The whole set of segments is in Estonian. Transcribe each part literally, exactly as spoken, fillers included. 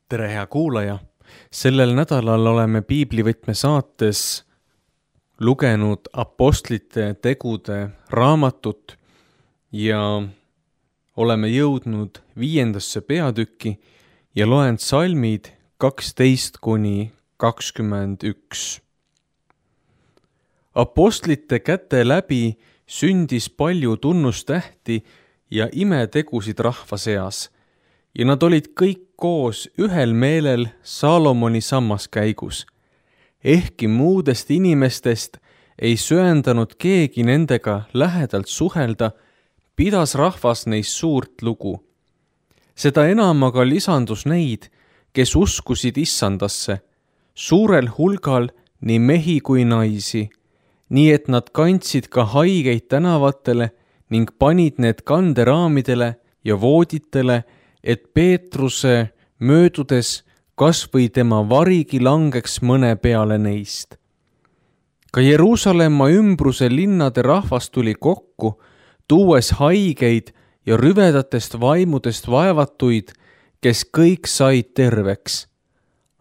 tere, hea kuulaja! Sellel nädalal oleme Piiblivõtme saates lugenud apostlite tegude raamatut ja oleme jõudnud viiendasse peatükki ja loen salmid kaksteist kuni kakskümmend üks. Apostlite käte läbi sündis palju tunnustähti ja imetegusid rahva seas, ja nad olid kõik koos ühel meelel Saalomoni sammaskäigus. Ehkki muudest inimestest ei söandanud keegi nendega lähedalt suhelda, pidas rahvas neist suurt lugu. Seda enam aga lisandus neid, kes uskusid Issandasse, suurel hulgal nii mehi kui naisi, nii et nad kandsid ka haigeid tänavatele ning panid need kanderaamidele ja vooditele, et Peetruse möödudes kas või tema varigi langeks mõne peale neist. Ka Jeruusalemma ümbruse linnade rahvas tuli kokku, tuues haigeid ja rüvedatest vaimudest vaevatuid, kes kõik said terveks.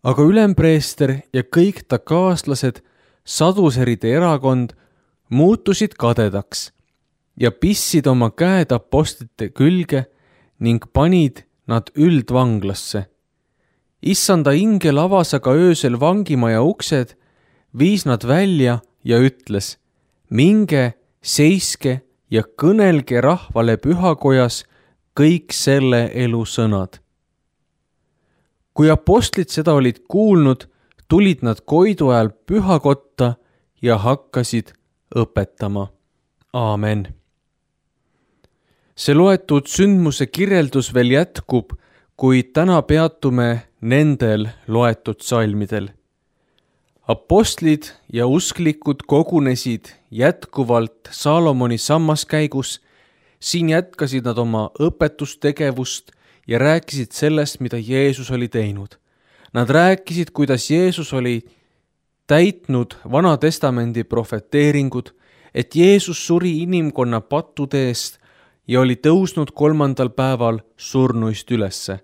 Aga ülempreester ja kõik ta kaaslased, saduseride erakond, muutusid kadedaks ja pissid oma käed apostlite külge ning panid nad üldvanglasse. Issanda ingel avas aga öösel vangimaja uksed, viis nad välja ja ütles: minge, seiske ja kõnelge rahvale pühakojas kõik selle elu sõnad. Kui apostlid seda olid kuulnud, tulid nad koidu ajal pühakotta ja hakkasid õpetama. Aamen. See loetud sündmuse kirjeldus veel jätkub, kuid täna peatume nendel loetud salmidel. Apostlid ja usklikud kogunesid jätkuvalt Saalomoni sammaskäigus. Siin jätkasid nad oma õpetustegevust ja rääkisid sellest, mida Jeesus oli teinud. Nad rääkisid, kuidas Jeesus oli täitnud Vana Testamendi profeteeringud, et Jeesus suri inimkonna pattude eest ja oli tõusnud kolmandal päeval surnuist ülesse.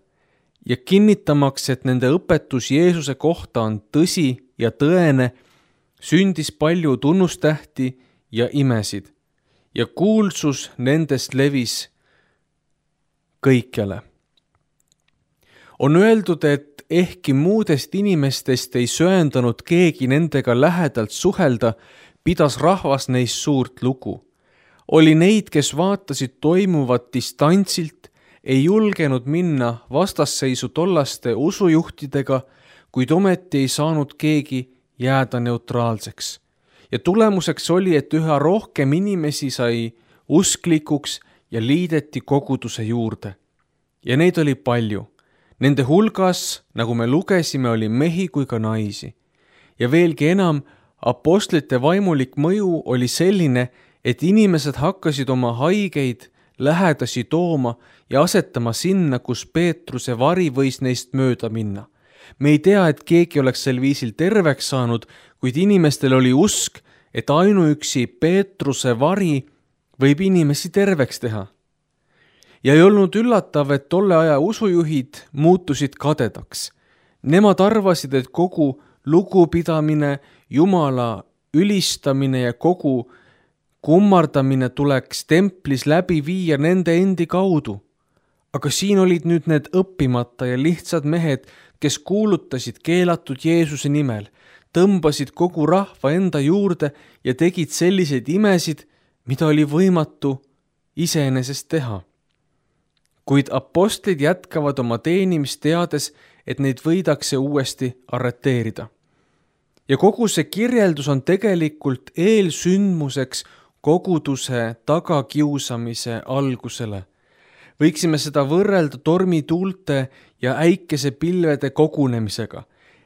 Ja kinnitamaks, et nende õpetus Jeesuse kohta on tõsi ja tõene, sündis palju tunnustähti ja imesid, ja kuulsus nendest levis kõikjale. On öeldud, et ehkki muudest inimestest ei söandanud keegi nendega lähedalt suhelda, pidas rahvas neist suurt lugu. Oli neid, kes vaatasid toimuvat distantsilt, ei julgenud minna vastasseisu tollaste usujuhtidega, kuid ometi ei saanud keegi jääda neutraalseks. Ja tulemuseks oli, et üha rohkem inimesi sai usklikuks ja liideti koguduse juurde. Ja neid oli palju. Nende hulgas, nagu me lugesime, oli mehi kui ka naisi. Ja veelgi enam, apostlite vaimulik mõju oli selline, et inimesed hakkasid oma haigeid lähedasi tooma ja asetama sinna, kus Peetruse vari võis neist mööda minna. Me ei tea, et keegi oleks sel viisil terveks saanud, kuid inimestel oli usk, et ainuüksi Peetruse vari võib inimesi terveks teha. Ja ei olnud üllatav, et tolle aja usujuhid muutusid kadedaks. Nemad arvasid, et kogu lugupidamine, Jumala ülistamine ja kogu kummardamine tuleks templis läbi viia nende endi kaudu. Aga siin olid nüüd need õppimata ja lihtsad mehed, kes kuulutasid keelatud Jeesuse nimel, tõmbasid kogu rahva enda juurde ja tegid selliseid imesid, mida oli võimatu iseenesest teha. Kuid apostlid jätkavad oma teenimist teades, et neid võidakse uuesti arreteerida. Ja kogu see kirjeldus on tegelikult eelsündmuseks koguduse tagakiusamise algusele. Võiksime seda võrrelda tormituulte ja äikesepilvede kogunemisega.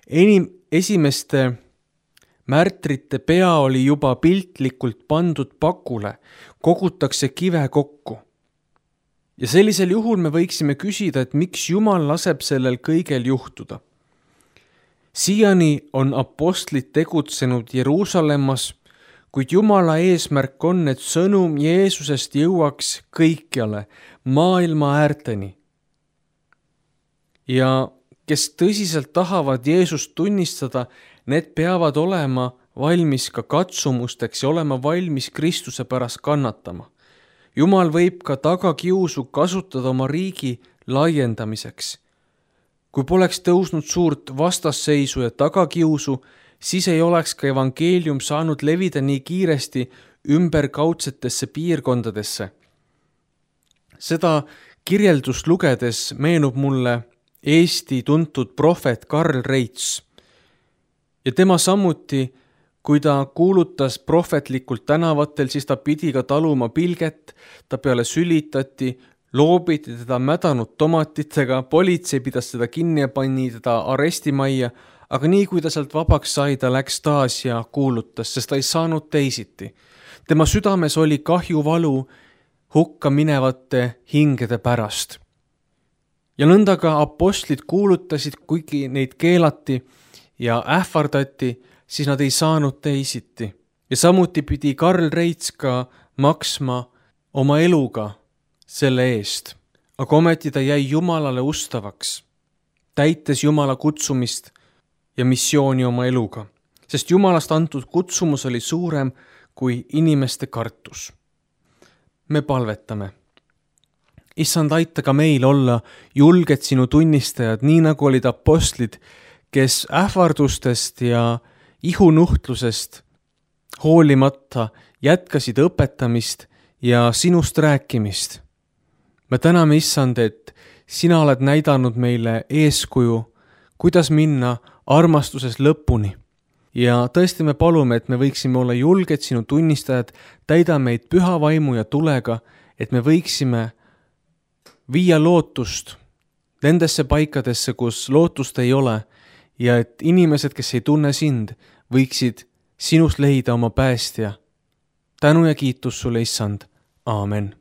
Enim, esimeste märtrite pea oli juba piltlikult pandud pakule, kogutakse kive kokku. Ja sellisel juhul me võiksime küsida, et miks Jumal laseb sellel kõigel juhtuda. Siiani on apostlid tegutsenud Jeruusalemmas, kuid Jumala eesmärk on, et sõnum Jeesusest jõuaks kõikjale, maailma äärteni. Ja kes tõsiselt tahavad Jeesust tunnistada, need peavad olema valmis ka katsumusteks ja olema valmis Kristuse pärast kannatama. Jumal võib ka tagakiusu kasutada oma riigi laiendamiseks. Kui poleks tõusnud suurt vastasseisu ja tagakiusu, siis ei oleks ka evangeelium saanud levida nii kiiresti ümberkaudsetesse piirkondadesse. Seda kirjeldust lugedes meenub mulle Eesti tuntud prohvet Karl Reits. Ja tema samuti, kui ta kuulutas prohvetlikult tänavatel, siis ta pidi ka taluma pilget, ta peale sülitati, loobiti teda mädanud tomatitega, politsei pidas teda kinni ja pani teda arestimajja, aga nii kui ta sealt vabaks sai, ta läks taas ja kuulutas, sest ta ei saanud teisiti. Tema südames oli kahjuvalu hukka minevate hingede pärast. Ja nõnda ka apostlid kuulutasid, kuigi neid keelati ja ähvardati, siis nad ei saanud teisiti. Ja samuti pidi Karl Reits ka maksma oma eluga selle eest. Aga ometi ta jäi Jumalale ustavaks, täites Jumala kutsumist ja missiooni oma eluga. Sest Jumalast antud kutsumus oli suurem kui inimeste kartus. Me palvetame. Issand, aita ka meil olla julged sinu tunnistajad, nii nagu olid apostlid, kes ähvardustest ja ihunuhtlusest hoolimata jätkasid õpetamist ja sinust rääkimist. Me täname, Issand, et sina oled näidanud meile eeskuju, kuidas minna armastuses lõpuni. Ja tõesti me palume, et me võiksime olla julged sinu tunnistajad, täida meid püha vaimu ja tulega, et me võiksime viia lootust nendesse paikadesse, kus lootust ei ole, ja et inimesed, kes ei tunne sind, võiksid sinust leida oma päästja. Tänu ja kiitus sulle, Issand. Aamen.